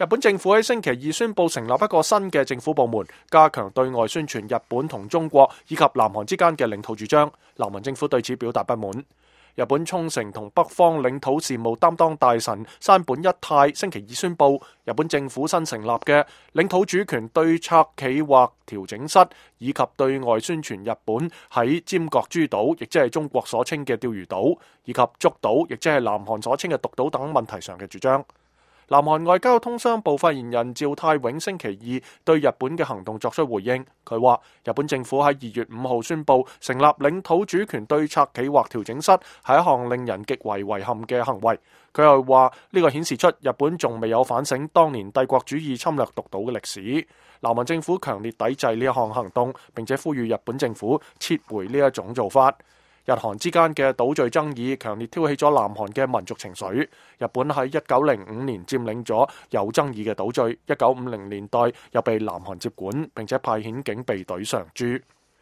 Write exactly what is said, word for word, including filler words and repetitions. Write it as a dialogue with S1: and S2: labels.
S1: 日本政府喺星期二宣布成立一個新嘅政府部門，加強對外宣傳日本同中國以及南韓之間嘅領土主張。南韓政府對此表達不滿。日本沖繩同北方領土事務擔當大臣山本一太星期二宣布，日本政府新成立嘅領土主權對策企劃調整室，以及對外宣傳日本喺尖閣諸島，亦即係中國所稱嘅釣魚島，以及竹島，亦即係南韓所稱嘅獨島等問題上嘅主張。南韓外交通商部發言人趙泰永星期二對日本嘅行動作出回應，佢話日本政府喺二月五號宣布成立領土主權對策企劃調整室係一項令人極為遺憾嘅行為。佢又話呢個顯示出日本仲未有反省當年帝國主義侵略獨島嘅歷史。南韓政府強烈抵制呢一項行動，並且呼籲日本政府撤回呢一種做法。日韓之間嘅島嶼爭議強烈挑起咗南韓嘅民族情緒。日本喺一九零五年佔領咗有爭議嘅島嶼，一九五零年代又被南韓接管，並且派遣警備隊常駐。